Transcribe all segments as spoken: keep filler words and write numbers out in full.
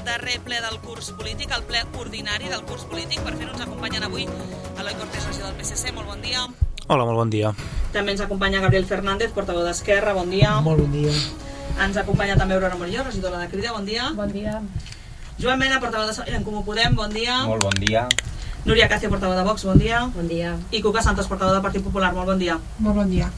darrer ple del curs polític, el ple ordinari del curs polític. Per fer-ho ens acompanyen avui Eloi Cortés, regidor del P S C. Molt bon dia. Hola, molt bon dia. També ens acompanya Gabriel Fernández, portaveu d'Esquerra. Bon dia. Molt bon dia. Ens acompanya també Aurora Morillo, regidora de Crida. Bon dia. Bon dia. Joan Mena, portaveu de En Comú Podem. Bon dia. Molt bon dia. Núria Cacio, portaveu de Vox. Bon dia. Bon dia. I Cuca Santos, portaveu del Partit Popular. Molt bon dia. Molt bon dia.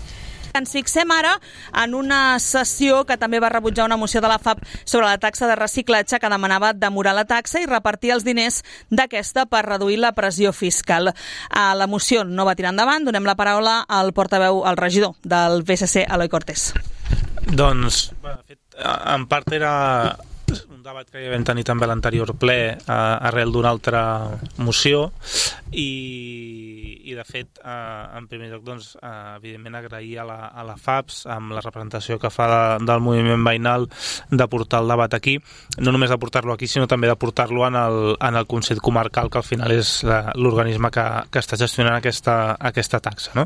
Ens fixem ara en una sessió que també va rebutjar una moció de la F A P sobre la taxa de reciclatge que demanava demorar la taxa i repartir els diners d'aquesta per reduir la pressió fiscal. La moció no va tirar endavant. Donem la paraula al portaveu, al regidor del P S C, Eloi Cortés. Doncs, en part era un debat que ja vam tenir també a l'anterior ple arrel d'una altra moció i, i de fet, en primer lloc, doncs, evidentment agrair a la, a la F A P S amb la representació que fa de, del moviment veïnal de portar el debat aquí, no només de portar-lo aquí, sinó també de portar-lo en el, en el Consell Comarcal, que al final és l'organisme que, que està gestionant aquesta, aquesta taxa, no?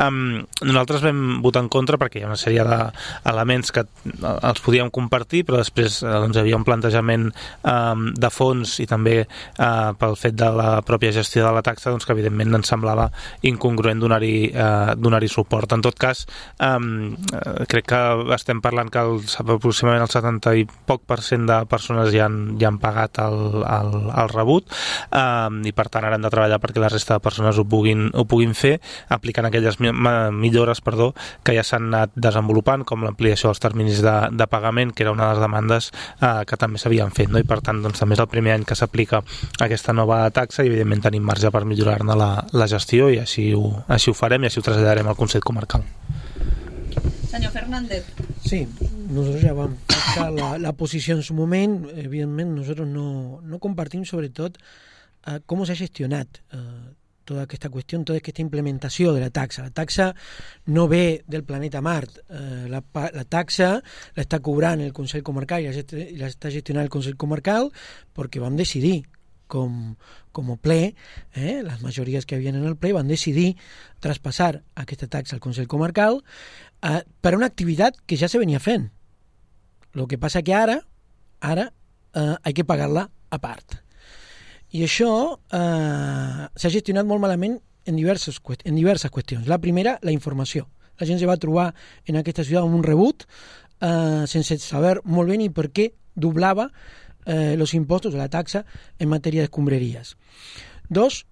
Um, nosaltres vam votar en contra perquè hi ha una sèrie d'elements que els podíem compartir, però després doncs, hi havia un plantejament um, de fons i també uh, pel fet de la pròpia gestió de la taxa, doncs, que evidentment ens semblava incongruent donar-hi uh, donar-hi suport. En tot cas, um, crec que estem parlant que el, aproximadament el setanta i poc per cent de persones ja han, ja han pagat el, el, el rebut um, i per tant ara hem de treballar perquè la resta de persones ho puguin, ho puguin fer aplicant aquelles millores perdó, que ja s'han anat desenvolupant, com l'ampliació dels terminis de, de pagament, que era una de les demandes uh, que també s'havien fet, no? I per tant doncs, també és el primer any que s'aplica aquesta nova taxa i evidentment tenim marge per millorar-ne la, la gestió i així ho, així ho farem i així ho traslladarem al Consell Comarcal. Senyor Fernández. Sí, nosotros ya vamos a la, la posición en su momento. Evidentemente nosotros no, no compartimos sobre todo uh, cómo se ha gestionat uh, tota aquesta qüestió, tota aquesta implementació de la taxa. La taxa no ve del planeta Mart. Eh, la, la taxa l'està cobrant el Consell Comarcal i l'està gestionant el Consell Comarcal perquè vam decidir com, com a ple, eh, les majories que havien en el ple van decidir traspassar aquesta taxa al Consell Comarcal eh, per una activitat que ja se venia fent. El que passa que ara ara eh, hay que pagar-la a part. I això eh, s'ha gestionat molt malament en diverses, en diverses qüestions. La primera, la informació. La gent se va trobar en aquesta ciutat amb un rebut eh, sense saber molt bé ni per què doblava eh, els impostos de la taxa en matèria d'escombraries. Dos,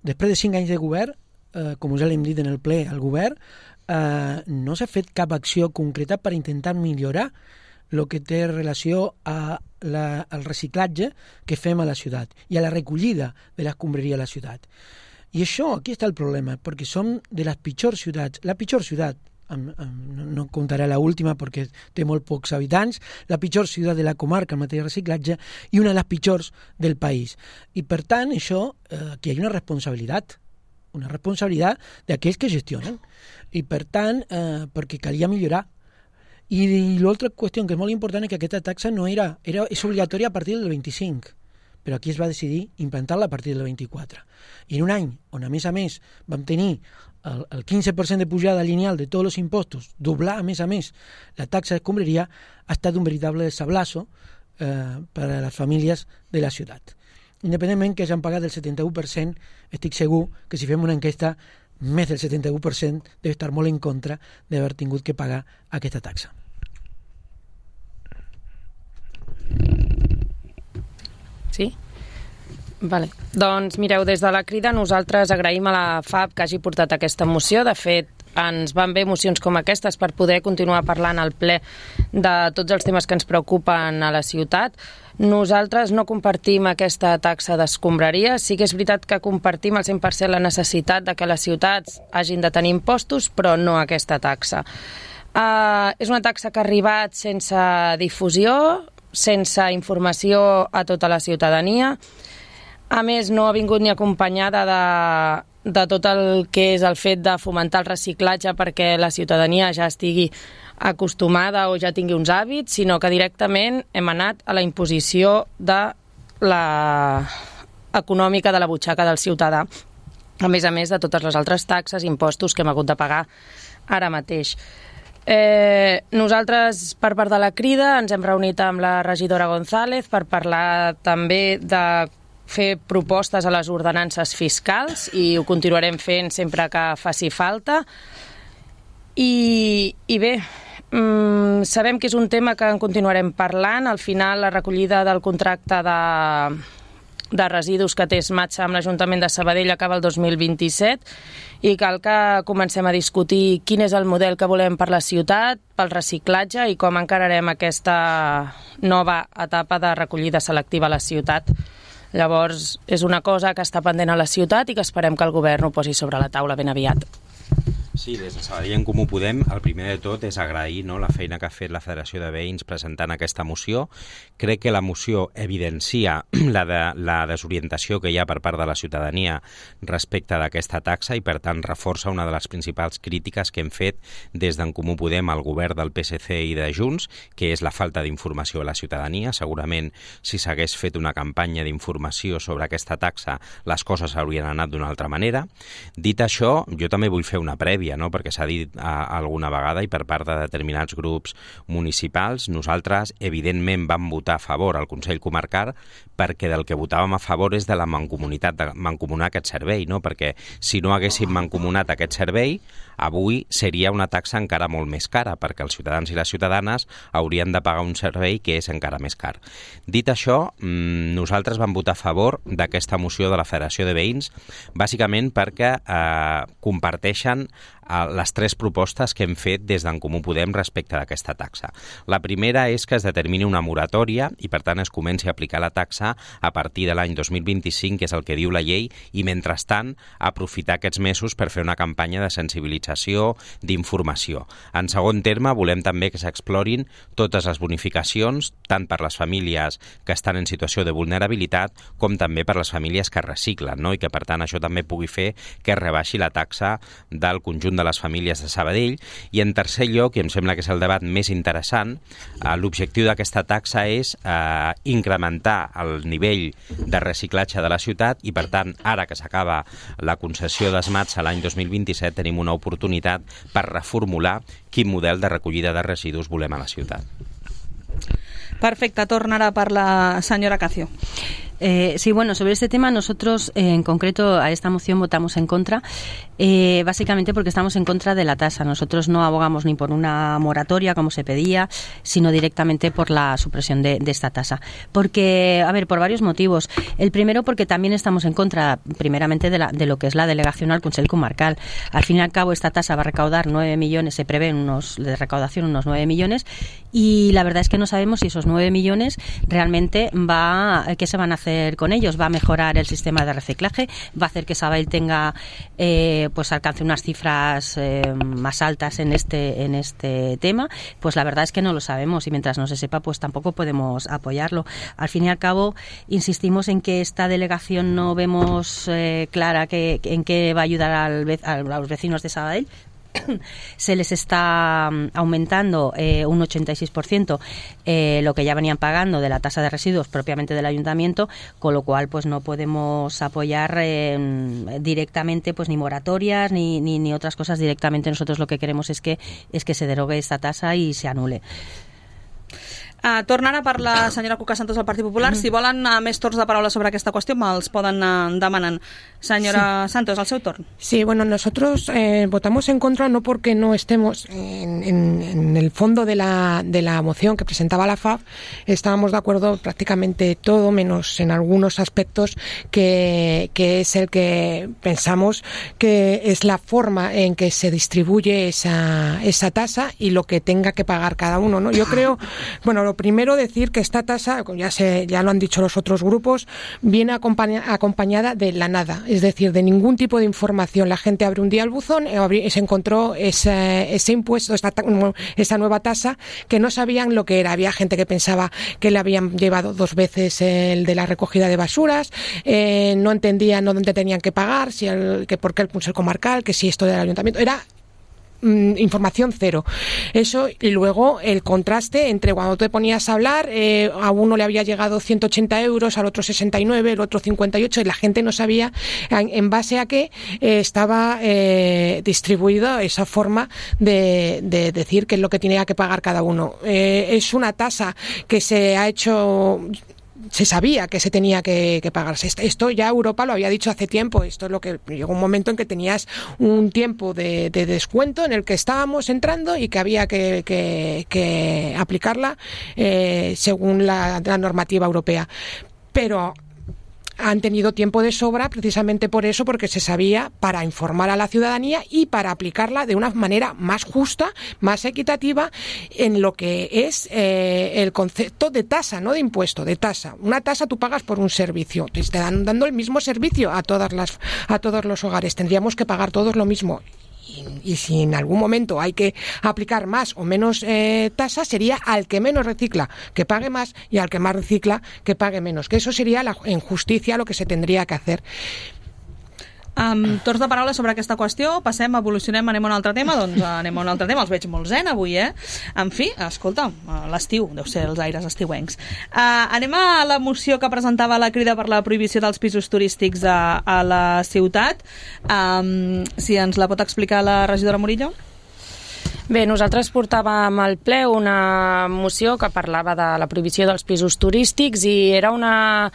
després de cinc anys de govern, eh, com ja l'hem dit en el ple al govern, eh, no s'ha fet cap acció concreta per intentar millorar el que té relació a la, al reciclatge que fem a la ciutat i a la recollida de l'escombraria a la ciutat. I això, aquí està el problema, perquè som de les pitjors ciutats, la pitjor ciutat, amb, amb, no contaré la última perquè té molt pocs habitants, la pitjor ciutat de la comarca en matèria de reciclatge i una de les pitjors del país. I per tant, això, eh, que hi ha una responsabilitat, una responsabilitat d'aquells que gestionen. I per tant, eh, perquè calia millorar. I l'altra qüestió que és molt important és que aquesta taxa no era, era és obligatòria a partir del vint-i-cinc, però aquí es va decidir implantar-la a partir del vint-i-quatre. I en un any on, a més a més, vam tenir el, el quinze per cent de pujada lineal de tots els impostos, doblar, a més a més, la taxa d'escombraria, ha estat un veritable sablazo eh, per a les famílies de la ciutat. Independentment que hagin pagat el setanta-u per cent, estic segur que si fem una enquesta més del setanta-u per cent deu estar molt en contra d'haver tingut que pagar aquesta taxa. Sí? Vale. Doncs mireu, des de la Crida nosaltres agraïm a la F A P que hagi portat aquesta moció. De fet, ens van bé mocions com aquestes per poder continuar parlant al ple de tots els temes que ens preocupen a la ciutat. Nosaltres no compartim aquesta taxa d'escombraria. Sí que és veritat que compartim al cent per cent la necessitat de que les ciutats hagin de tenir impostos, però no aquesta taxa. Uh, és una taxa que ha arribat sense difusió, sense informació a tota la ciutadania. A més, no ha vingut ni acompanyada de, de tot el que és el fet de fomentar el reciclatge perquè la ciutadania ja estigui acostumada o ja tingui uns hàbits, sinó que directament hem anat a la imposició de la econòmica de la butxaca del ciutadà, a més a més de totes les altres taxes i impostos que hem hagut de pagar ara mateix. Eh, nosaltres, per part de la Crida, ens hem reunit amb la regidora González per parlar també de fer propostes a les ordenances fiscals i ho continuarem fent sempre que faci falta. I, i bé, mm, sabem que és un tema que en continuarem parlant. Al final, la recollida del contracte de... de residus que té Smatsa amb l'Ajuntament de Sabadell acaba el dos mil vint-i-set i cal que comencem a discutir quin és el model que volem per la ciutat, pel reciclatge i com encararem aquesta nova etapa de recollida selectiva a la ciutat. Llavors, és una cosa que està pendent a la ciutat i que esperem que el govern ho posi sobre la taula ben aviat. Sí, des de Sabadell en Comú Podem, el primer de tot és agrair, no, la feina que ha fet la Federació de Veïns presentant aquesta moció. Crec que la moció evidencia la, de, la desorientació que hi ha per part de la ciutadania respecte d'aquesta taxa i, per tant, reforça una de les principals crítiques que hem fet des d'en Comú Podem al govern del P S C i de Junts, que és la falta d'informació a la ciutadania. Segurament, si s'hagués fet una campanya d'informació sobre aquesta taxa, les coses haurien anat d'una altra manera. Dit això, jo també vull fer una prèvia, no? Perquè s'ha dit a, alguna vegada i per part de determinats grups municipals, nosaltres evidentment vam votar a favor al Consell Comarcal perquè del que votàvem a favor és de la mancomunitat, de mancomunar aquest servei, no? Perquè si no haguéssim mancomunat aquest servei, avui seria una taxa encara molt més cara, perquè els ciutadans i les ciutadanes haurien de pagar un servei que és encara més car. Dit això, nosaltres vam votar a favor d'aquesta moció de la Federació de Veïns, bàsicament perquè eh, comparteixen les tres propostes que hem fet des d'en Comú Podem respecte d'aquesta taxa. La primera és que es determini una moratòria i, per tant, es comenci a aplicar la taxa a partir de l'any dos mil vint-i-cinc, que és el que diu la llei, i, mentrestant, aprofitar aquests mesos per fer una campanya de sensibilització, d'informació. En segon terme, volem també que s'explorin totes les bonificacions, tant per les famílies que estan en situació de vulnerabilitat com també per les famílies que reciclen, no? I que, per tant, això també pugui fer que es rebaixi la taxa del conjunt de les famílies de Sabadell. I en tercer lloc, i em sembla que és el debat més interessant, eh, l'objectiu d'aquesta taxa és eh, incrementar el nivell de reciclatge de la ciutat i, per tant, ara que s'acaba la concessió d'Smatsa l'any dos mil vint-i-set, tenim una oportunitat per reformular quin model de recollida de residus volem a la ciutat. Perfecte, tornarà per la senyora Cacio. Eh, sí, bueno, sobre este tema nosotros eh, en concreto a esta moción votamos en contra, eh, básicamente porque estamos en contra de la tasa. Nosotros no abogamos ni por una moratoria como se pedía, sino directamente por la supresión de, de esta tasa. Porque, a ver, por varios motivos. El primero porque también estamos en contra, primeramente, de, la, de lo que es la delegación al Consell Comarcal. Al fin y al cabo esta tasa va a recaudar nueve millones, se prevén unos, de recaudación unos nueve millones y la verdad es que no sabemos si esos nueve millones realmente va, ¿qué se van a hacer con ellos? ¿Va a mejorar el sistema de reciclaje? ¿Va a hacer que Sabadell tenga, eh, pues alcance unas cifras eh, más altas en este, en este tema? Pues la verdad es que no lo sabemos y mientras no se sepa, pues tampoco podemos apoyarlo. Al fin y al cabo, insistimos en que esta delegación no vemos eh, clara que, en qué va a ayudar al, a los vecinos de Sabadell. Se les está aumentando eh, un ochenta y seis por ciento eh, lo que ya venían pagando de la tasa de residuos propiamente del ayuntamiento, con lo cual pues no podemos apoyar eh, directamente pues ni moratorias ni, ni, ni otras cosas directamente. Nosotros lo que queremos es que, es que se derogue esta tasa y se anule. Uh, tornant a per la senyora Cuca Santos del Partit Popular. Si volen uh, més torns de paraula sobre aquesta qüestió, me'ls poden uh, demanar. Señora sí. Santos, al seu torn. Sí, bueno, nosotros eh, votamos en contra no porque no estemos en, en, en el fondo de la, de la moción que presentaba la F A P, estábamos de acuerdo prácticamente todo, menos en algunos aspectos que, que es el que pensamos que es la forma en que se distribuye esa, esa tasa y lo que tenga que pagar cada uno, ¿no? Yo creo, bueno, lo primero decir que esta tasa, ya, se, ya lo han dicho los otros grupos, viene acompaña, acompañada de la nada. Es decir, de ningún tipo de información. La gente abre un día el buzón y se encontró ese, ese impuesto, esta, esa nueva tasa, que no sabían lo que era. Había gente que pensaba que le habían llevado dos veces el de la recogida de basuras, eh, no entendían dónde tenían que pagar, si el, que por qué el Consell Comarcal, que si esto del ayuntamiento. Era mmm, información cero. Eso, y luego el contraste entre cuando te ponías a hablar, eh, a uno le había llegado ciento ochenta euros, al otro sesenta y nueve, el otro cincuenta y ocho, y la gente no sabía en, en base a qué eh, estaba eh, distribuida esa forma de, de decir qué es lo que tenía que pagar cada uno. Eh, es una tasa que se ha hecho... se sabía que se tenía que, que pagarse. Esto ya Europa lo había dicho hace tiempo. Esto es lo que llegó un momento en que tenías un tiempo de, de descuento en el que estábamos entrando y que había que, que, que aplicarla eh, según la, la normativa europea. Pero han tenido tiempo de sobra precisamente por eso, porque se sabía, para informar a la ciudadanía y para aplicarla de una manera más justa, más equitativa en lo que es eh, el concepto de tasa, no de impuesto, de tasa. Una tasa tú pagas por un servicio, te están dando el mismo servicio a todas las a todos los hogares, tendríamos que pagar todos lo mismo. Y, y si en algún momento hay que aplicar más o menos eh, tasa, sería al que menos recicla que pague más y al que más recicla que pague menos, que eso sería la, en justicia lo que se tendría que hacer. Um, torns de paraula sobre aquesta qüestió, passem, evolucionem, anem a un altre tema, doncs anem a un altre tema, els veig molt zen avui, eh? En fi, escolta, l'estiu, deu ser els aires estiuencs. Uh, anem a la moció que presentava la Crida per la prohibició dels pisos turístics a, a la ciutat. Um, si ens la pot explicar la regidora Murillo? Bé, nosaltres portàvem al ple una moció que parlava de la prohibició dels pisos turístics i era una...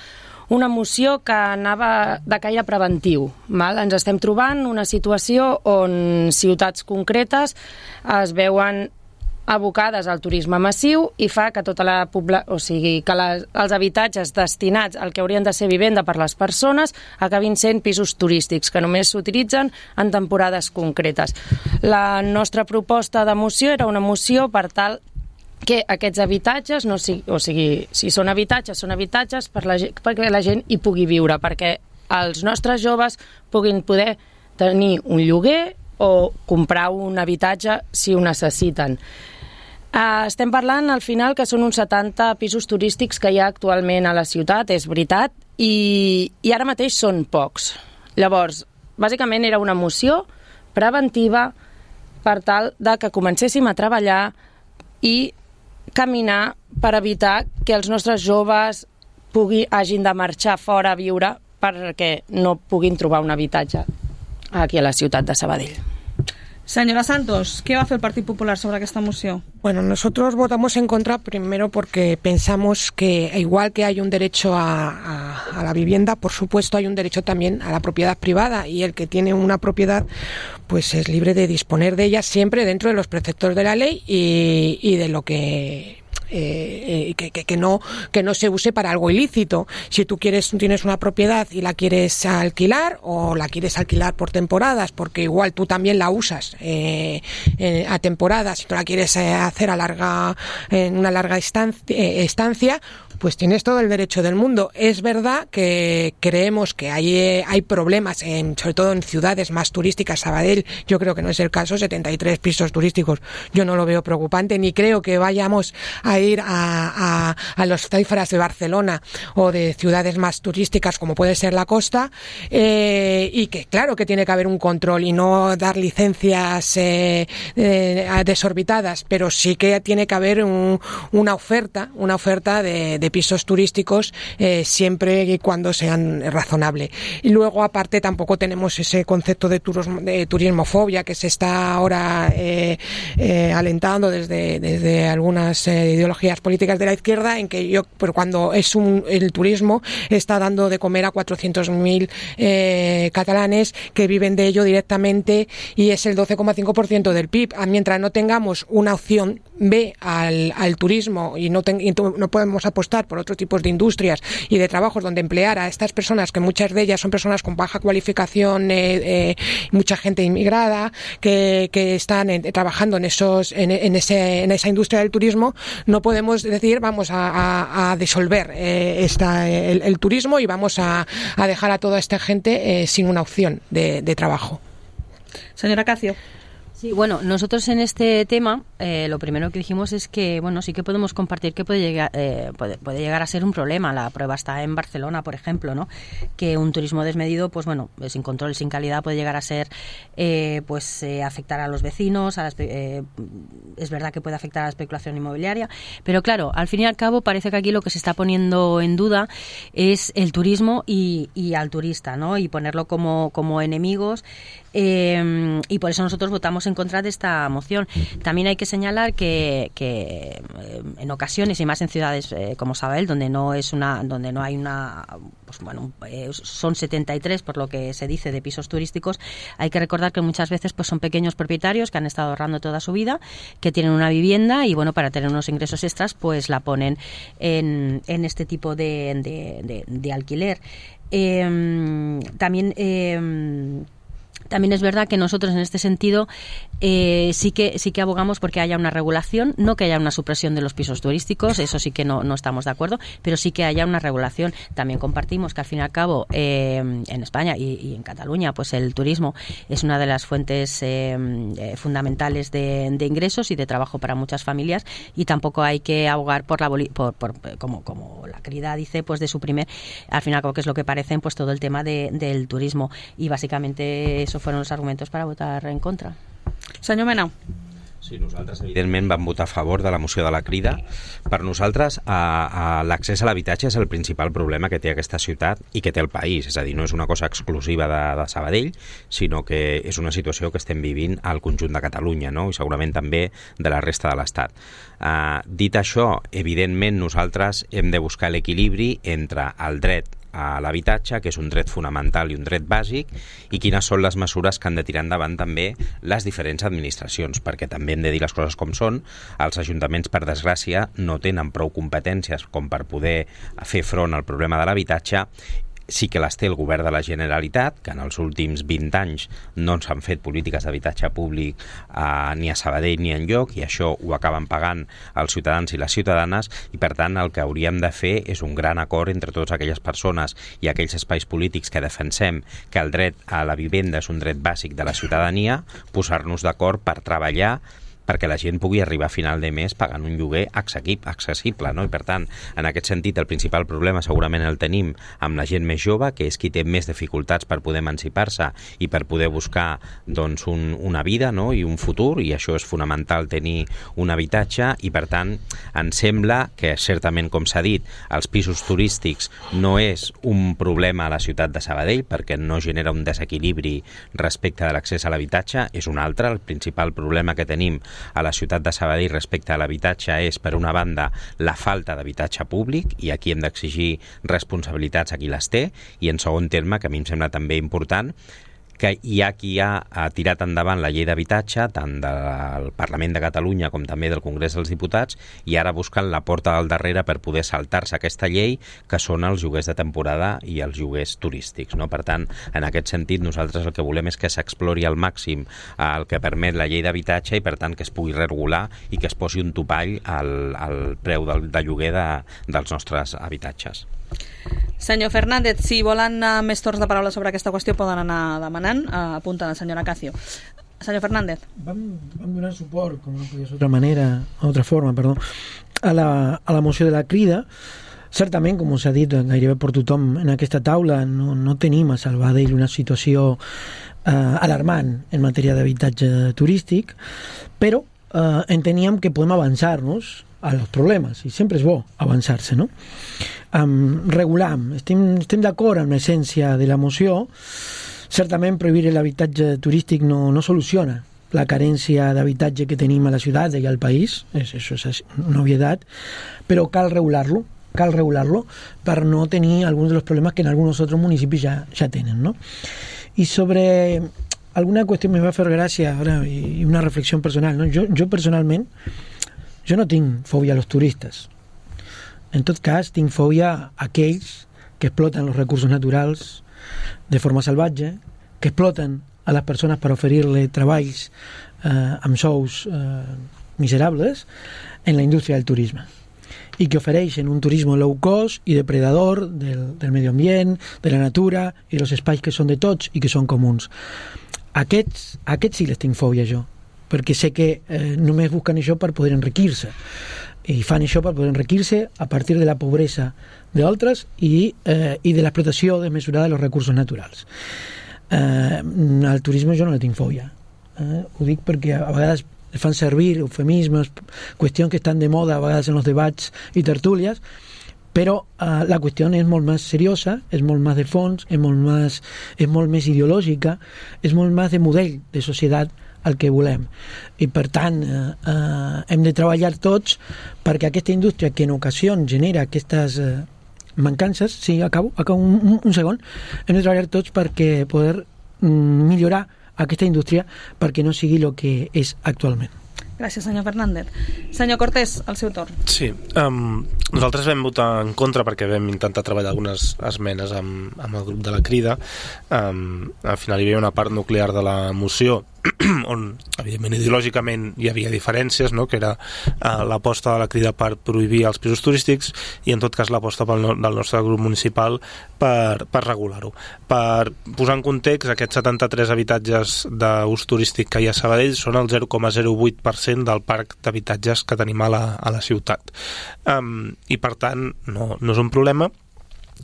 una moció que anava de caire preventiu. Val? Ens estem trobant una situació on ciutats concretes es veuen abocades al turisme massiu i fa que tota la pobla... o sigui, que les, els habitatges destinats al que haurien de ser vivenda per les persones acabin sent pisos turístics que només s'utilitzen en temporades concretes. La nostra proposta de moció era una moció per tal que aquests habitatges, no sigui, o sigui, si són habitatges, són habitatges per la, perquè la gent hi pugui viure, perquè els nostres joves puguin poder tenir un lloguer o comprar un habitatge si ho necessiten. Uh, estem parlant al final que són uns setanta pisos turístics que hi ha actualment a la ciutat, és veritat, i, i ara mateix són pocs. Llavors, bàsicament era una moció preventiva per tal de que comencéssim a treballar i caminar per evitar que els nostres joves pugui, hagin de marxar fora a viure perquè no puguin trobar un habitatge aquí a la ciutat de Sabadell. Señora Santos, ¿qué va a hacer el Partido Popular sobre esta moción? Bueno, nosotros votamos en contra primero porque pensamos que igual que hay un derecho a, a, a la vivienda, por supuesto hay un derecho también a la propiedad privada, y el que tiene una propiedad pues es libre de disponer de ella siempre dentro de los preceptos de la ley y, y de lo que... Eh, eh, que, que, que, no, que no se use para algo ilícito. Si tú quieres, tienes una propiedad y la quieres alquilar o la quieres alquilar por temporadas, porque igual tú también la usas eh, eh, a temporadas, si tú la quieres eh, hacer a larga, en una larga estancia, eh, estancia, pues tienes todo el derecho del mundo. Es verdad que creemos que hay, eh, hay problemas, en, sobre todo en ciudades más turísticas. Sabadell, yo creo que no es el caso, setenta y tres pisos turísticos, yo no lo veo preocupante, ni creo que vayamos a ir a, a, a los cifras de Barcelona o de ciudades más turísticas como puede ser la costa, eh, y que claro que tiene que haber un control y no dar licencias eh, eh, desorbitadas, pero sí que tiene que haber un, una oferta, una oferta de, de pisos turísticos eh, siempre y cuando sean razonables. Y luego aparte tampoco tenemos ese concepto de, turismo, de turismofobia que se está ahora eh, eh, alentando desde, desde algunas eh, ideologías políticas de la izquierda, en que yo, pero cuando es un, el turismo está dando de comer a cuatrocientos mil eh, catalanes que viven de ello directamente y es el doce coma cinco por ciento del P I B. Mientras no tengamos una opción B al, al turismo y no, ten, y no podemos apostar por otros tipos de industrias y de trabajos donde emplear a estas personas, que muchas de ellas son personas con baja cualificación, eh, eh, mucha gente inmigrada que, que están en, trabajando en esos en, en, ese, en esa industria del turismo, no podemos decir vamos a, a, a disolver eh, esta, el, el turismo y vamos a, a dejar a toda esta gente eh, sin una opción de, de trabajo. Señora Cacio. Sí, bueno, nosotros en este tema eh, lo primero que dijimos es que, bueno, sí que podemos compartir que puede llegar, eh, puede, puede llegar a ser un problema. La prueba está en Barcelona, por ejemplo, ¿no? Que un turismo desmedido, pues bueno, sin control, sin calidad, puede llegar a ser, eh, pues eh, afectar a los vecinos, a las, eh, es verdad que puede afectar a la especulación inmobiliaria, pero claro, al fin y al cabo parece que aquí lo que se está poniendo en duda es el turismo y, y al turista, ¿no? Y ponerlo como, como enemigos. Eh, y por eso nosotros votamos en contra de esta moción. También hay que señalar que, que eh, en ocasiones y más en ciudades eh, como Sabadell, donde no es una, donde no hay una, pues bueno, eh, son setenta y tres por lo que se dice de pisos turísticos. Hay que recordar que muchas veces pues son pequeños propietarios que han estado ahorrando toda su vida, que tienen una vivienda y bueno, para tener unos ingresos extras pues la ponen en, en este tipo de, de, de, de alquiler. Eh, también eh, También es verdad que nosotros en este sentido eh, sí que sí que abogamos porque haya una regulación, no que haya una supresión de los pisos turísticos, eso sí que no, no estamos de acuerdo, pero sí que haya una regulación. También compartimos que al fin y al cabo eh, en España y, y en Cataluña pues el turismo es una de las fuentes eh, eh, fundamentales de, de ingresos y de trabajo para muchas familias, y tampoco hay que abogar por la por, por como, como la querida dice, pues de suprimir al fin y al cabo, que es lo que parecen, pues todo el tema de, del turismo, y básicamente eso fueron los argumentos para votar en contra. Senyor Mena. Sí, nosaltres evidentment vam votar a favor de la moció de la Crida. Per nosaltres a, a l'accés a l'habitatge és el principal problema que té aquesta ciutat i que té el país, és a dir, no és una cosa exclusiva de, de Sabadell, sinó que és una situació que estem vivint al conjunt de Catalunya, no? I segurament també de la resta de l'Estat. Uh, dit això, evidentment nosaltres hem de buscar l'equilibri entre el dret a l'habitatge, que és un dret fonamental i un dret bàsic, i quines són les mesures que han de tirar endavant també les diferents administracions, perquè també hem de dir les coses com són. Els ajuntaments, per desgràcia, no tenen prou competències com per poder fer front al problema de l'habitatge. Sí que les té el govern de la Generalitat, que en els últims vint anys no s'han fet polítiques d'habitatge públic eh, ni a Sabadell ni enlloc, i això ho acaben pagant els ciutadans i les ciutadanes, i per tant el que hauríem de fer és un gran acord entre totes aquelles persones i aquells espais polítics que defensem que el dret a la vivenda és un dret bàsic de la ciutadania, posar-nos d'acord per treballar perquè la gent pugui arribar a final de mes pagant un lloguer accessible, no? I per tant, en aquest sentit, el principal problema segurament el tenim amb la gent més jove, que és qui té més dificultats per poder emancipar-se i per poder buscar doncs, un, una vida, no? I un futur, i això és fonamental, tenir un habitatge, i per tant ens sembla que certament, com s'ha dit, els pisos turístics no és un problema a la ciutat de Sabadell perquè no genera un desequilibri respecte de l'accés a l'habitatge, és un altre. El principal problema que tenim a la ciutat de Sabadell respecte a l'habitatge és, per una banda, la falta d'habitatge públic, i aquí hem d'exigir responsabilitats a qui les té, i en segon terme, que a mi em sembla també important, que hi ha qui ha, ha tirat endavant la llei d'habitatge, tant del Parlament de Catalunya com també del Congrés dels Diputats, i ara busquen la porta del darrere per poder saltar-se aquesta llei, que són els lloguers de temporada i els lloguers turístics, no? Per tant, en aquest sentit, nosaltres el que volem és que s'explori al màxim el que permet la llei d'habitatge, i per tant que es pugui regular i que es posi un topall al, al preu del, de lloguer de, dels nostres habitatges. Senyor Fernández, si volen uh, més torns de paraula sobre aquesta qüestió poden anar demanant. Uh, apunta la senyora Cacio. Senyor Fernández. Vam, vam donar suport, com no podia ser d'altra manera, d'altra forma, perdó, a la, a la moció de la Crida. Certament, com s'ha dit gairebé per tothom en aquesta taula, no, no tenim a Sabadell una situació eh, alarmant en matèria d'habitatge turístic, però eh, enteníem que podem avançar-nos a los problemes, i sempre és bo avançar-se, no? Um, regular, estem, estem d'acord amb l'essència de la moció. Certament prohibir l'habitatge turístic no, no soluciona la carència d'habitatge que tenim a la ciutat i al país, és, això és una obvietat, però cal regular-lo, cal regular-lo per no tenir alguns dels problemes que en alguns altres municipis ja, ja tenen, no? I sobre alguna qüestió me va fer gràcia ara, i una reflexió personal, no? Jo, jo personalment jo no tinc fòbia a los turistes. En tot cas, tinc fòbia a aquells que exploten els recursos naturals de forma salvatge, que exploten a les persones per oferir-li treballs eh, amb sous eh, miserables en la indústria del turisme, i que ofereixen un turisme low cost i depredador del, del medi ambient, de la natura i dels espais que són de tots i que són comuns. Aquests, aquests sí les tinc fòbia jo. perquè sé que eh, només busquen això per poder enriquir-se, i fan això per poder enriquir-se a partir de la pobresa d'altres i, eh, i de l'explotació desmesurada dels recursos naturals. Eh, al turisme jo no le tinc fòbia, eh? Ho dic perquè a vegades fan servir eufemismes, qüestions que estan de moda a vegades en els debats i tertúlies, però uh, la qüestió és molt més seriosa, és molt més de fons, és molt més, és molt més ideològica, és molt més de model de societat el que volem. I per tant uh, uh, hem de treballar tots perquè aquesta indústria que en ocasions genera aquestes uh, mancances, sí, acabo, acabo un, un, un segon, hem de treballar tots perquè poder mm, millorar aquesta indústria perquè no sigui el que és actualment. Gràcies, senyor Fernández. Senyor Cortés, el seu torn. Sí, um, nosaltres vam votar en contra perquè vam intentar treballar algunes esmenes amb, amb el grup de la Crida. Um, al final hi havia una part nuclear de la moció on, evidentment, ideològicament hi havia diferències, no? Que era uh, l'aposta de la Crida per prohibir els pisos turístics i, en tot cas, l'aposta pel no, del nostre grup municipal per, per regular-ho. Per posar en context, aquests setanta-tres habitatges d'ús turístic que hi ha a Sabadell són el zero coma zero vuit per cent del parc d'habitatges que tenim a la, a la ciutat. Um, I, per tant, no, no és un problema.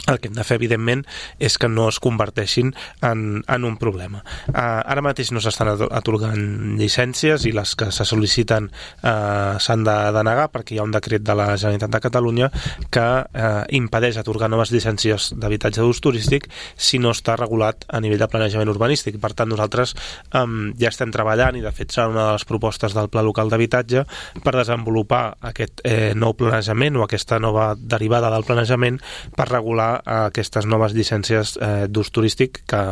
El que hem de fer, evidentment, és que no es converteixin en, en un problema. Uh, ara mateix no s'estan atorgant llicències i les que se sol·liciten uh, s'han de denegar perquè hi ha un decret de la Generalitat de Catalunya que uh, impedeix atorgar noves llicències d'habitatge d'ús turístic si no està regulat a nivell de planejament urbanístic. Per tant, nosaltres um, ja estem treballant i, de fet, serà una de les propostes del Pla Local d'Habitatge per desenvolupar aquest eh, nou planejament o aquesta nova derivada del planejament per regular a aquestes noves llicències eh, d'ús turístic que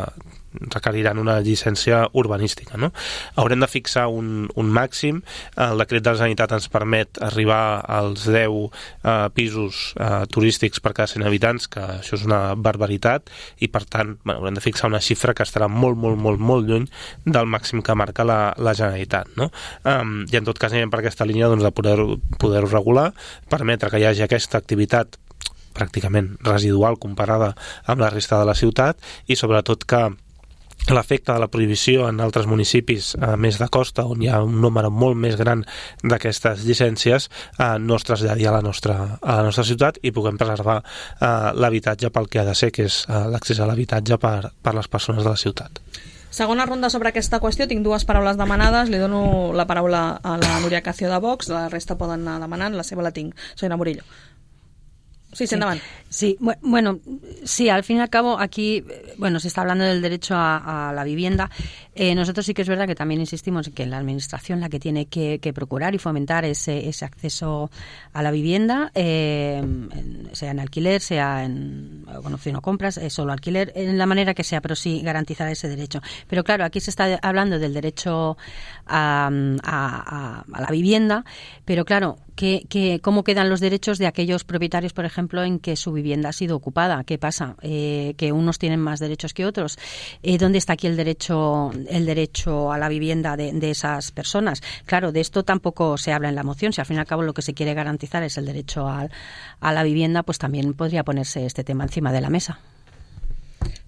requeriran una llicència urbanística, no? Haurem de fixar un, un màxim. El decret de la Generalitat ens permet arribar als deu eh, pisos eh, turístics per cada cent habitants, que això és una barbaritat, i per tant, bueno, haurem de fixar una xifra que estarà molt, molt, molt, molt lluny del màxim que marca la, la Generalitat, no? Um, I en tot cas anem per aquesta línia, doncs, de poder-ho poder-ho regular, permetre que hi hagi aquesta activitat pràcticament residual comparada amb la resta de la ciutat i sobretot que l'efecte de la prohibició en altres municipis eh, més de costa, on hi ha un número molt més gran d'aquestes llicències, eh, no es traslladi a la nostra, a la nostra ciutat i puguem preservar eh, l'habitatge pel que ha de ser, que és eh, l'accés a l'habitatge per, per les persones de la ciutat. Segona ronda sobre aquesta qüestió, tinc dues paraules demanades, li dono la paraula a la Núria Cacio de Vox, la resta poden anar demanant, la seva la tinc. Senyora Murillo. Sí, sí, endavant. Sí, bueno, sí, al fin y al cabo aquí, bueno, se está hablando del derecho a, a la vivienda. Eh, nosotros sí que es verdad que también insistimos en que la administración la que tiene que, que procurar y fomentar ese, ese acceso a la vivienda, eh, sea en alquiler, sea en, bueno, opción o compras, eh, solo alquiler, en la manera que sea, pero sí garantizar ese derecho. Pero claro, aquí se está hablando del derecho a, a, a, a la vivienda, pero claro, que, que, ¿cómo quedan los derechos de aquellos propietarios, por ejemplo, en que su vivienda ha sido ocupada? ¿Qué pasa? Eh, que unos tienen más derechos que otros. Eh, ¿Dónde está aquí el derecho el derecho a la vivienda de, de esas personas? Claro, de esto tampoco se habla en la moción. Si al fin y al cabo lo que se quiere garantizar es el derecho a, a la vivienda, pues también podría ponerse este tema encima de la mesa.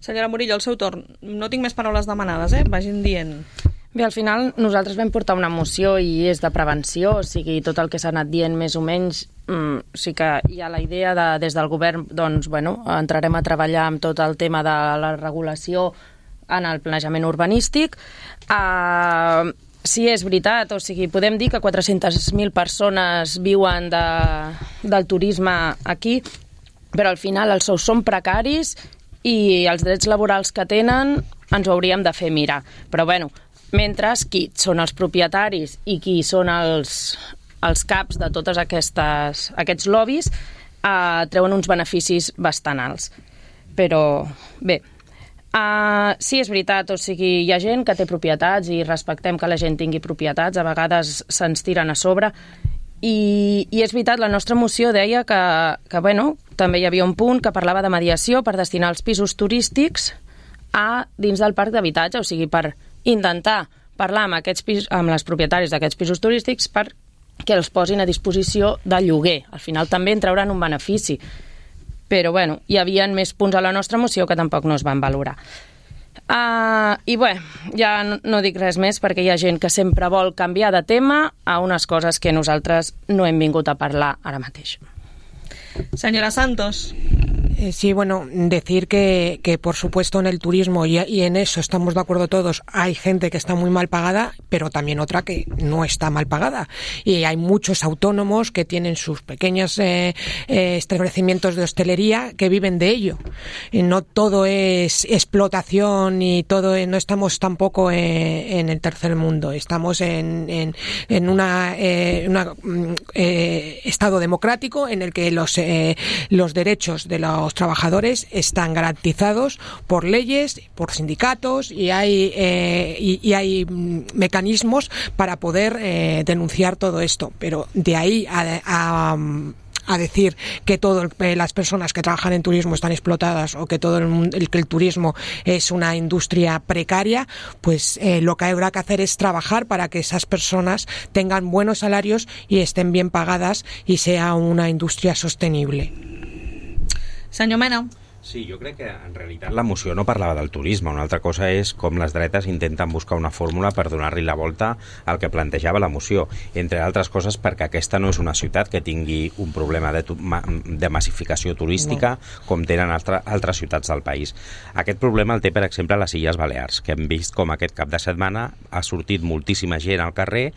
Senyora Murillo, el seu torn. No tinc més paraules demanades, eh? Vagin dient. Bé, al final nosaltres vam portar una moció i és de prevenció, o sigui, tot el que s'ha anat dient més o menys, mm, sí que hi ha la idea de, des del govern, doncs, bueno, entrarem a treballar amb tot el tema de la regulació en el planejament urbanístic. Uh, sí, és veritat, o sigui, podem dir que quatre-centes mil persones viuen de, del turisme aquí, però al final els sous són precaris i els drets laborals que tenen ens ho hauríem de fer mirar. Però, bueno, mentre qui són els propietaris i qui són els, els caps de totes aquestes, aquests lobbies eh, treuen uns beneficis bastant alts. Però, bé, eh, sí, és veritat, o sigui, hi ha gent que té propietats i respectem que la gent tingui propietats, a vegades se'ns tiren a sobre, i, i és veritat, la nostra moció deia que, que, bueno, també hi havia un punt que parlava de mediació per destinar els pisos turístics a dins del parc d'habitatge, o sigui, per intentar parlar amb, aquests pis, amb les propietaris d'aquests pisos turístics perquè els posin a disposició de lloguer. Al final també en trauran un benefici. Però, bueno, hi havia més punts a la nostra moció que tampoc no es van valorar. Uh, I bé, ja no, no dic res més perquè hi ha gent que sempre vol canviar de tema a unes coses que nosaltres no hem vingut a parlar ara mateix. Señora Santos. Eh, sí, bueno, decir que, que por supuesto en el turismo y, y en eso estamos de acuerdo todos, hay gente que está muy mal pagada, pero también otra que no está mal pagada. Y hay muchos autónomos que tienen sus pequeños eh, eh, establecimientos de hostelería que viven de ello. Y no todo es explotación y todo, no estamos tampoco en, en el tercer mundo, estamos en, en, en una, eh, una eh, estado democrático en el que los, eh, los derechos de los trabajadores están garantizados por leyes, por sindicatos y hay eh, y, y hay mecanismos para poder eh, denunciar todo esto, pero de ahí a, a a decir que todas las personas que trabajan en turismo están explotadas o que todo el, el, que el turismo es una industria precaria, pues eh, lo que habrá que hacer es trabajar para que esas personas tengan buenos salarios y estén bien pagadas y sea una industria sostenible. Senyor Mena. Sí, jo crec que en realitat la moció no parlava del turisme. Una altra cosa és com les dretes intenten buscar una fórmula per donar-li la volta al que plantejava la moció. Entre altres coses perquè aquesta no és una ciutat que tingui un problema de, de massificació turística no. com tenen altre, altres ciutats del país. Aquest problema el té, per exemple, les Illes Balears, que hem vist com aquest cap de setmana ha sortit moltíssima gent al carrer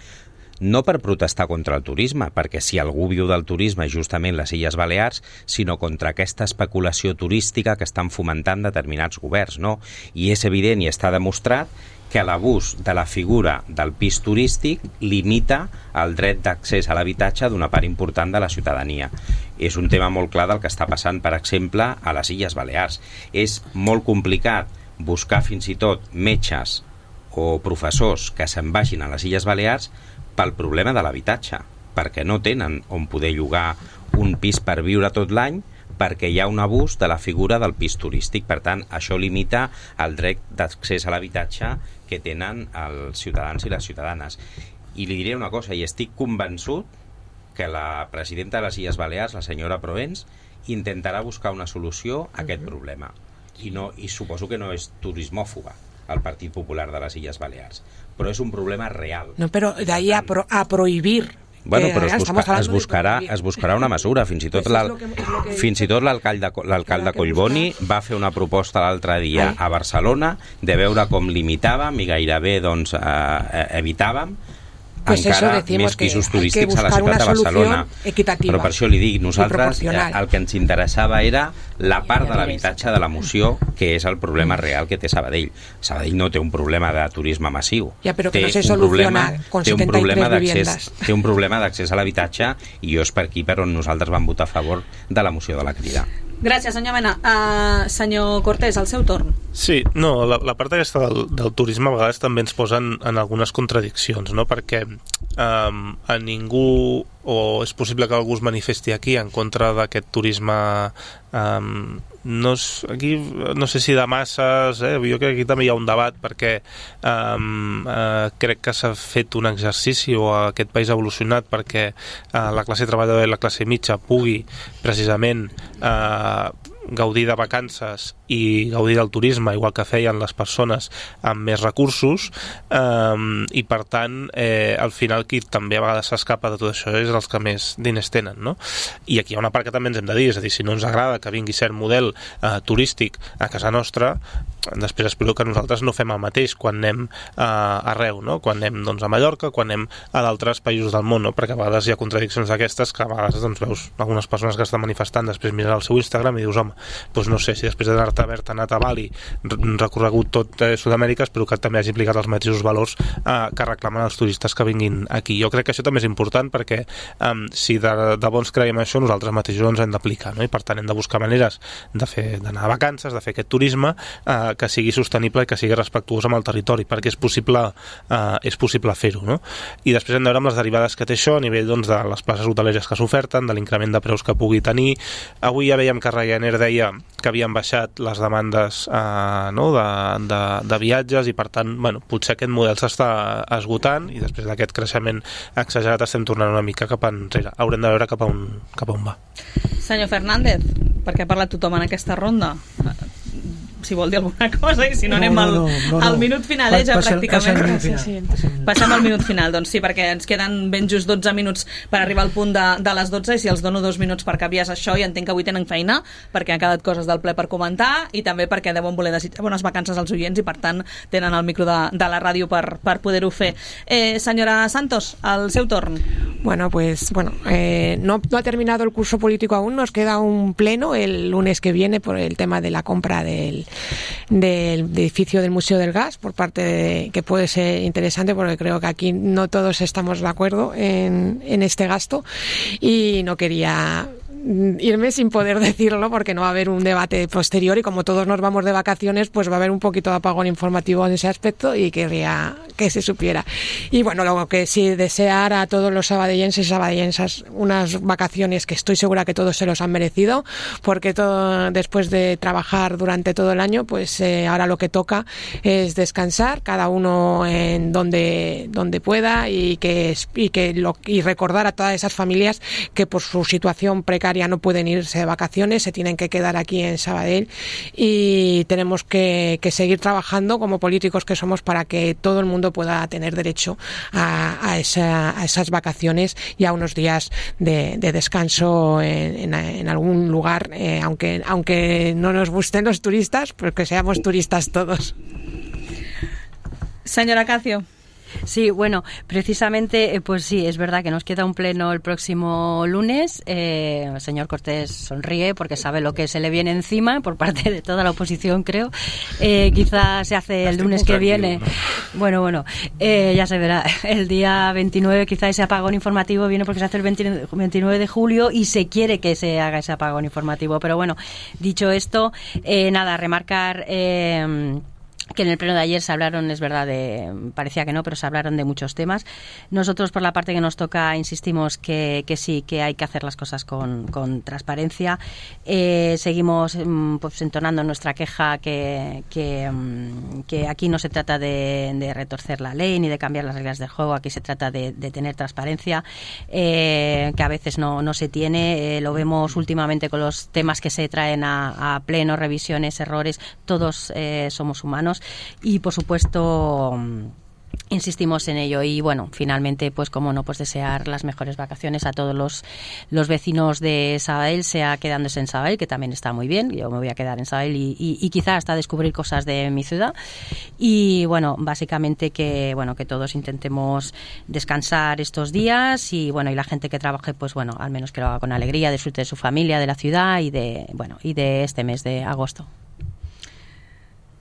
no per protestar contra el turisme, perquè si algú viu del turisme és justament les Illes Balears, sinó contra aquesta especulació turística que estan fomentant determinats governs, no? I és evident i està demostrat que l'abús de la figura del pis turístic limita el dret d'accés a l'habitatge d'una part important de la ciutadania. És un tema molt clar del que està passant, per exemple, a les Illes Balears. És molt complicat buscar fins i tot metges o professors que se'n vagin a les Illes Balears pel problema de l'habitatge, perquè no tenen on poder llogar un pis per viure tot l'any, perquè hi ha un abús de la figura del pis turístic. Per tant, això limita el dret d'accés a l'habitatge que tenen els ciutadans i les ciutadanes. I li diré una cosa, i estic convençut que la presidenta de les Illes Balears, la senyora Provence, intentarà buscar una solució a aquest problema. I, no, i suposo que no és turismòfoba al Partit Popular de les Illes Balears, però és un problema real. No, però d'ahí a, pro, a prohibir. Bueno, però es, busca, es, buscarà, es buscarà una mesura. Fins i tot l'alcalde Collboni va fer una proposta l'altre dia a Barcelona de veure com limitàvem i gairebé doncs, eh, evitàvem pues encara més pisos turístics a la ciutat de Barcelona. Però per això li dic, nosaltres eh, el que ens interessava era la part de l'habitatge de la moció, que és el problema real que té Sabadell. Sabadell no té un problema de turisme massiu. Ja, però que no se soluciona con setenta i tres viviendas. Té un problema d'accés a l'habitatge i jo és per aquí per on nosaltres vam votar a favor de la moció de la Crida. Gràcies, senyor Mena. Uh, senyor Cortés, al seu torn. Sí, no, la, la part aquesta del, del turisme a vegades també ens posa en, en algunes contradiccions, no? Perquè um, a ningú, o és possible que algú es manifesti aquí en contra d'aquest turisme um, no, és, aquí, no sé si de masses, eh? Jo crec que aquí també hi ha un debat perquè um, uh, crec que s'ha fet un exercici o aquest país ha evolucionat perquè uh, la classe treballadora i la classe mitja pugui precisament uh, gaudir de vacances i gaudir del turisme igual que feien les persones amb més recursos um, i per tant eh, al final qui també a vegades s'escapa de tot això és els que més diners tenen, no? I aquí hi ha una part que també ens hem de dir, és a dir, si no ens agrada que vingui cert model eh, turístic a casa nostra, després espero que nosaltres no fem el mateix quan anem eh, arreu, no? Quan anem doncs, a Mallorca, quan anem a d'altres països del món, no? Perquè a vegades hi ha contradiccions d'aquestes que a vegades doncs, veus algunes persones que estan manifestant, després mires el seu Instagram i dius, home, doncs no sé, si després d'haver-te anat a Bali recorregut tot eh, Sud-amèrica, espero que també hagi implicat els mateixos valors eh, que reclamen els turistes que vinguin aquí. Jo crec que això també és important perquè eh, si de, de bons creiem això, nosaltres mateixos ens hem d'aplicar, no? I per tant hem de buscar maneres de fer d'anar a vacances, de fer aquest turisme eh, que sigui sostenible i que sigui respectuós amb el territori, perquè és possible eh, és possible fer-ho, no? I després hem de veure amb les derivades que té això a nivell doncs, de les places hoteleres que s'oferten, de l'increment de preus que pugui tenir. Avui ja veiem que Ryanair deia que havien baixat les demandes eh, no, de, de, de viatges i per tant, bueno, potser aquest model s'està esgotant i després d'aquest creixement exagerat estem tornant una mica cap enrere. Haurem de veure cap a on, cap a on va. Senyor Fernández, perquè ha parlat tothom en aquesta ronda? si vol dir alguna cosa, i si no, no anem no, al, no, no, no. al minut final, eh, ja passa, pràcticament. Passa al minut final. Sí, sí. Passem al minut final, doncs sí, perquè ens queden ben just dotze minuts per arribar al punt de, de les dotze, i si els dono dos minuts per canviar això, i entenc que avui tenen feina, perquè han quedat coses del ple per comentar, i també perquè deuen voler desitjar bones vacances als oients, i per tant tenen el micro de, de la ràdio per, per poder-ho fer. Eh, senyora Santos, el seu torn. Bueno, pues bueno, eh, no, no ha terminado el curso político aún, nos queda un pleno el lunes que viene por el tema de la compra del, del edificio del Museo del Gas, por parte de, que puede ser interesante, porque creo que aquí no todos estamos de acuerdo en, en este gasto, y no quería irme sin poder decirlo porque no va a haber un debate posterior, y como todos nos vamos de vacaciones, pues va a haber un poquito de apagón informativo en ese aspecto, y querría que se supiera. Y bueno, lo que sí, desear a todos los sabadellenses y sabadellensas unas vacaciones que estoy segura que todos se los han merecido, porque todo, después de trabajar durante todo el año, pues eh, ahora lo que toca es descansar, cada uno en donde, donde pueda, y que, y que lo, y recordar a todas esas familias que por su situación precaria no pueden irse de vacaciones, se tienen que quedar aquí en Sabadell, y tenemos que, que seguir trabajando como políticos que somos para que todo el mundo pueda tener derecho a, a, esa, a esas vacaciones y a unos días de, de descanso en, en, en algún lugar, eh, aunque, aunque no nos gusten los turistas, pues que seamos turistas todos. Señora Cacio. Sí, bueno, precisamente, eh, pues sí, es verdad que nos queda un pleno el próximo lunes. Eh, el señor Cortés sonríe porque sabe lo que se le viene encima por parte de toda la oposición, creo. Eh, quizá se hace el lunes que viene. ¿No? Bueno, bueno, eh, ya se verá. El día veintinueve quizá ese apagón informativo viene porque se hace el veintinueve de julio y se quiere que se haga ese apagón informativo. Pero bueno, dicho esto, eh, nada, remarcar... Eh, que en el pleno de ayer se hablaron, es verdad, de, parecía que no, pero se hablaron de muchos temas. Nosotros, por la parte que nos toca, insistimos que, que sí, que hay que hacer las cosas con, con transparencia. Eh, seguimos pues, entonando nuestra queja que, que, que aquí no se trata de, de retorcer la ley ni de cambiar las reglas del juego, aquí se trata de, de tener transparencia, eh, que a veces no, no se tiene. Eh, lo vemos últimamente con los temas que se traen a, a pleno, revisiones, errores, todos eh, somos humanos. Y por supuesto insistimos en ello, y bueno, finalmente pues como no, pues desear las mejores vacaciones a todos los, los vecinos de Sabadell, sea quedándose en Sabadell, que también está muy bien, yo me voy a quedar en Sabadell y, y, y quizá hasta descubrir cosas de mi ciudad, y bueno, básicamente que bueno, que todos intentemos descansar estos días, y bueno, y la gente que trabaje, pues bueno, al menos que lo haga con alegría, disfrute de su familia, de la ciudad y de, bueno, y de este mes de agosto.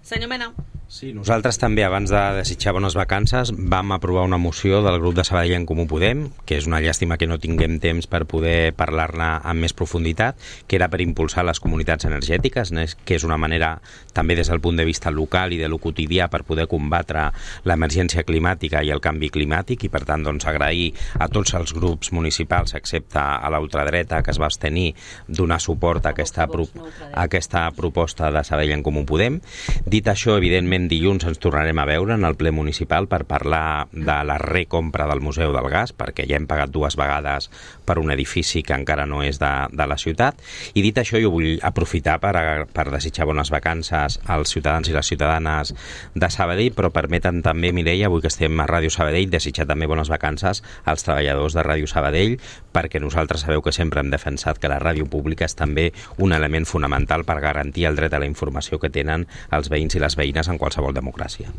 Senyor Mena. Sí, nosaltres també, abans de desitjar bones vacances, vam aprovar una moció del grup de Sabadell en Comú Podem, que és una llàstima que no tinguem temps per poder parlar-ne amb més profunditat, que era per impulsar les comunitats energètiques, que és una manera també des del punt de vista local i de lo quotidià per poder combatre l'emergència climàtica i el canvi climàtic, i per tant doncs, agrair a tots els grups municipals, excepte a la ultradreta, que es va abstenir, donar suport a aquesta, pro a aquesta proposta de Sabadell en Comú Podem. Dit això, evidentment, dilluns ens tornarem a veure en el ple municipal per parlar de la recompra del Museu del Gas, perquè ja hem pagat dues vegades per un edifici que encara no és de, de la ciutat. I dit això, jo vull aprofitar per, per desitjar bones vacances als ciutadans i les ciutadanes de Sabadell, però permeten també, Mireia, avui que estem a Ràdio Sabadell, desitjar també bones vacances als treballadors de Ràdio Sabadell, perquè nosaltres sabeu que sempre hem defensat que la ràdio pública és també un element fonamental per garantir el dret a la informació que tenen els veïns i les veïnes en qualsevol democràcia.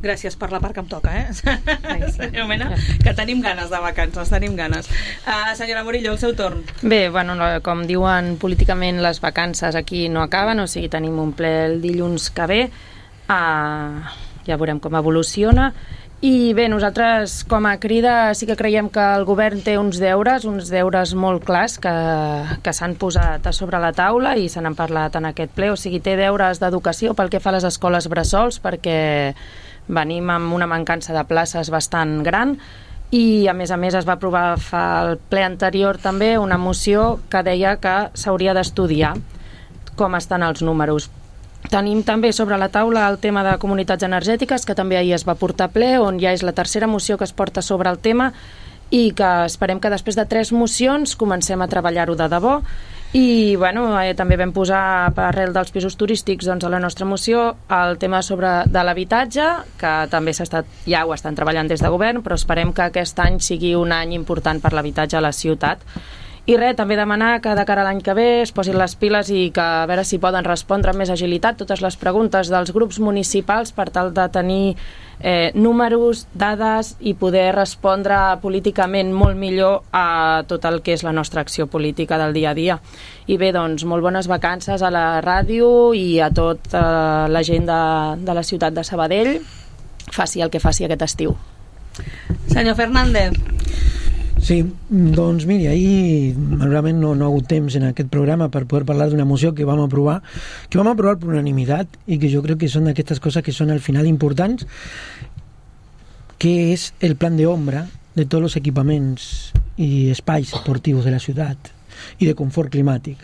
Gràcies per la part que em toca, eh? Senyor Mena, que tenim ganes de vacances, tenim ganes. Uh, senyora Murillo, el seu torn. Bé, bueno, com diuen políticament, les vacances aquí no acaben, o sigui, tenim un ple el dilluns que ve, uh, ja veurem com evoluciona. I bé, nosaltres com a Crida sí que creiem que el govern té uns deures, uns deures molt clars que, que s'han posat a sobre la taula i se n'han parlat en aquest ple, o sigui, té deures d'educació pel que fa a les escoles bressols, perquè venim amb una mancança de places bastant gran, i a més a més es va aprovar fa el ple anterior també una moció que deia que s'hauria d'estudiar com estan els números. Tenim també sobre la taula el tema de comunitats energètiques, que també ahir es va portar a ple, on ja és la tercera moció que es porta sobre el tema, i que esperem que després de tres mocions comencem a treballar-ho de debò. I bueno, eh, també vam posar arrel dels pisos turístics doncs, a la nostra moció el tema sobre de l'habitatge, que també s'ha estat, ja ho estan treballant des de govern, però esperem que aquest any sigui un any important per l'habitatge a la ciutat. I res, també demanar que de cara a l'any que ve es posin les piles i que a veure si poden respondre amb més agilitat totes les preguntes dels grups municipals per tal de tenir eh, números, dades i poder respondre políticament molt millor a tot el que és la nostra acció política del dia a dia. I bé, doncs, molt bones vacances a la ràdio i a tota la gent de, de la ciutat de Sabadell, faci el que faci aquest estiu. Senyor Fernández. Sí, doncs miri, ahir malauradament no, no ha hagut temps en aquest programa per poder parlar d'una moció que vam aprovar que vam aprovar per unanimitat i que jo crec que són d'aquestes coses que són al final importants, que és el plan de ombra de tots els equipaments i espais esportius de la ciutat i de confort climàtic.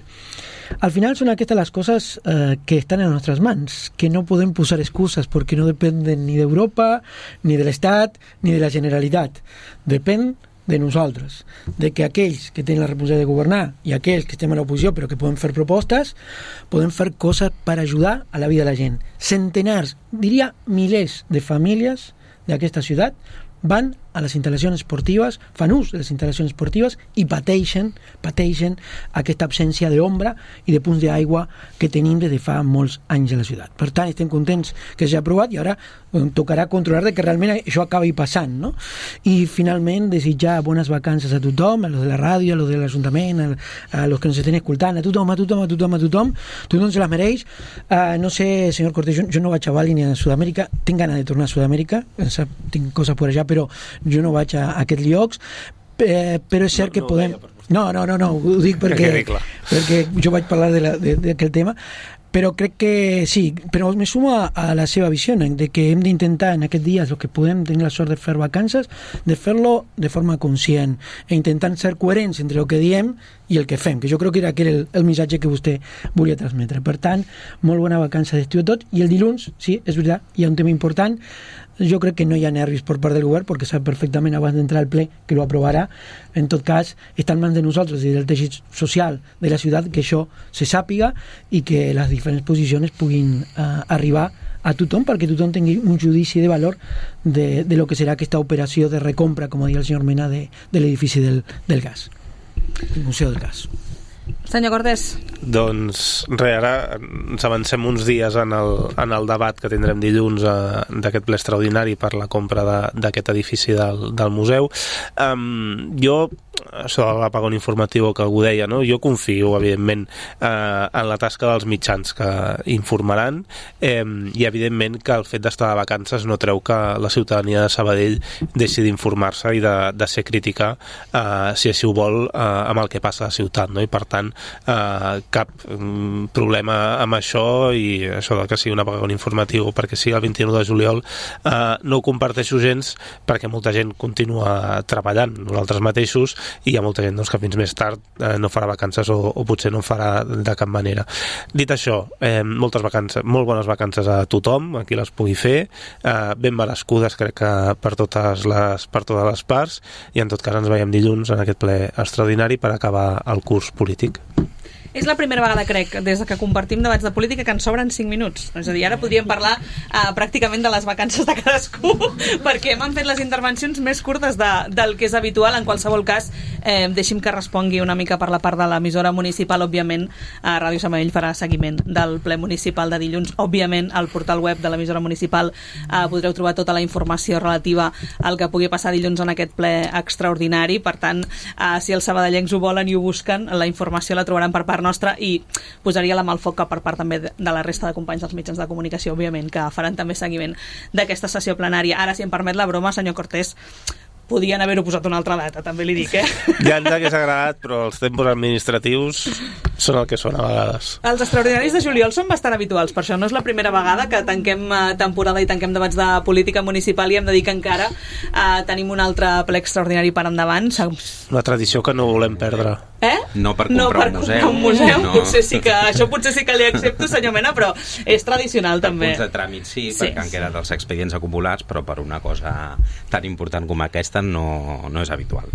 Al final són aquestes les coses eh, que estan en les nostres mans, que no podem posar excuses perquè no dependen ni d'Europa, ni de l'Estat, ni de la Generalitat. Depèn de nosaltres, de que aquells que tenen la responsabilitat de governar i aquells que estem a l'oposició però que poden fer propostes, poden fer coses per ajudar a la vida de la gent. Centenars, diria milers de famílies d'aquesta ciutat van a les instal·lacions esportives, fan ús de les instal·lacions esportives i pateixen, pateixen aquesta absència d'ombra i de punts d'aigua que tenim des de fa molts anys a la ciutat. Per tant, estem contents que s'ha aprovat i ara tocarà controlar de que realment això acabi passant, no? I finalment desitjar bones vacances a tothom, a los de la ràdio, a los de l'Ajuntament, a, a los que ens estan escoltant, a tothom, a tothom, a tothom, a tothom, tothom se les mereix. Uh, no sé, senyor Cortés, jo, jo no vaig a Bali ni a Sud-amèrica, tinc ganes de tornar a Sud-amèrica, tinc coses per allà, però jo no vaig a, a aquests llocs, eh, però és cert no, que no podem... No, no, no, no, ho dic perquè, perquè jo vaig parlar d'aquest tema, però crec que sí, però me sumo a, a la seva visió, de que hem d'intentar en aquests dies, el que podem tenir la sort de fer vacances, de fer-lo de forma conscient e intentant ser coherents entre el que diem i el que fem, que jo crec que era, que era el, el missatge que vostè volia transmetre. Per tant, molt bona vacança d'estiu a tot, i el dilluns, sí, és veritat, hi ha un tema important. Jo crec que no hi ha nervis per part del govern perquè sap perfectament abans d'entrar al ple que lo aprovarà. En tot cas, està en mans de nosaltres i del teixit social de la ciutat que això se sàpiga i que les diferents posicions puguin uh, arribar a tothom perquè tothom tingui un judici de valor de, de lo que serà aquesta operació de recompra, com deia el senyor Mena, de, de l'edifici del, del gas, el Museu del Gas. Senyor Cortés. Doncs res, ara ens avancem uns dies en el, en el debat que tindrem dilluns eh, d'aquest ple extraordinari per la compra d'aquest edifici del, del museu. Um, jo, això de l'apagón informatiu que algú deia, no? Jo confio, evidentment, eh, en la tasca dels mitjans que informaran eh, i, evidentment, que el fet d'estar de vacances no treu que la ciutadania de Sabadell deixi d'informar-se i de, de ser crítica, eh, si així ho vol, eh, amb el que passa a la ciutat, no? I, per tant, eh, cap um, problema amb això, i això de que sigui un apagón informatiu perquè sigui el vint-i-nou de juliol eh, no ho comparteixo gens, perquè molta gent continua treballant, nosaltres mateixos, i hi ha molta gent doncs, que fins més tard eh, no farà vacances o, o potser no en farà de cap manera. Dit això, eh, moltes vacances, molt bones vacances a tothom, a qui les pugui fer, eh, ben merescudes crec que per totes les, per totes les parts, i en tot cas ens veiem dilluns en aquest ple extraordinari per acabar el curs polític. És la primera vegada, crec, des que compartim debats de política, que ens sobren cinc minuts. És a dir, ara podríem parlar uh, pràcticament de les vacances de cadascú, perquè m'han fet les intervencions més curtes de, del que és habitual. En qualsevol cas, eh, deixi'm que respongui una mica per la part de l'emissora municipal. Òbviament, a Ràdio Sabadell farà seguiment del ple municipal de dilluns. Òbviament, al portal web de l'emissora municipal eh, podreu trobar tota la informació relativa al que pugui passar dilluns en aquest ple extraordinari. Per tant, eh, si els sabadellencs ho volen i ho busquen, la informació la trobaran per part nostra, i posaria la mà al foc que per part també de la resta de companys dels mitjans de comunicació, òbviament, que faran també seguiment d'aquesta sessió plenària. Ara, si em permet la broma, senyor Cortés, podien haver-ho posat una altra data, també li dic, eh? Ja ens hagués agradat, però els tempos administratius són el que són a vegades. Els extraordinaris de juliol són bastant habituals, per això no és la primera vegada que tanquem eh, temporada i tanquem debats de política municipal i hem de dir que encara eh, tenim un altre ple extraordinari per endavant. Una tradició que no volem perdre. Eh? No per comprar no per un museu. Comprar un museu. No. Potser sí que, això potser sí que li accepto, senyor Mena, però és tradicional per també. Per punts de tràmit sí, sí, perquè han quedat els expedients acumulats, però per una cosa tan important com aquesta no, no és habitual.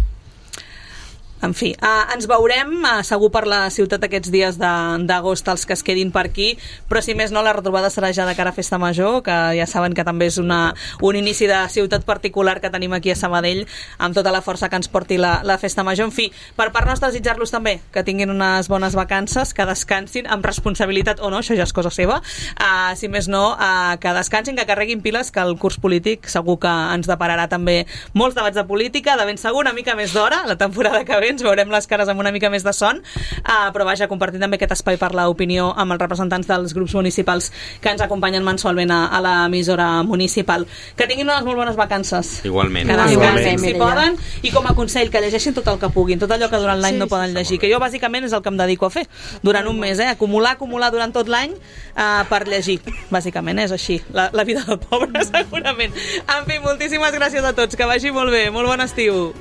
En fi, eh, ens veurem eh, segur per la ciutat aquests dies d'agost els que es quedin per aquí, però si més no la retrobada serà ja de cara a Festa Major, que ja saben que també és una, un inici de ciutat particular que tenim aquí a Sabadell, amb tota la força que ens porti la, la Festa Major. En fi, per part nostra desitjar-los també que tinguin unes bones vacances, que descansin amb responsabilitat o no, això ja és cosa seva, eh, si més no, eh, que descansin, que carreguin piles, que el curs polític segur que ens depararà també molts debats de política, de ben segur una mica més d'hora, la temporada que ve ens veurem les cares amb una mica més de son, uh, però vaja, compartint també aquest espai per l'opinió amb els representants dels grups municipals que ens acompanyen mensualment a, a l'emissora municipal. Que tinguin unes molt bones vacances. Igualment. Que descansin Igualment. si poden, i com a consell que llegeixin tot el que puguin, tot allò que durant l'any sí, no poden llegir, que jo bàsicament és el que em dedico a fer durant un mes, eh? acumular, acumular durant tot l'any uh, per llegir, bàsicament és així, la, la vida del pobre segurament. En fi, moltíssimes gràcies a tots, que vagi molt bé, molt bon estiu.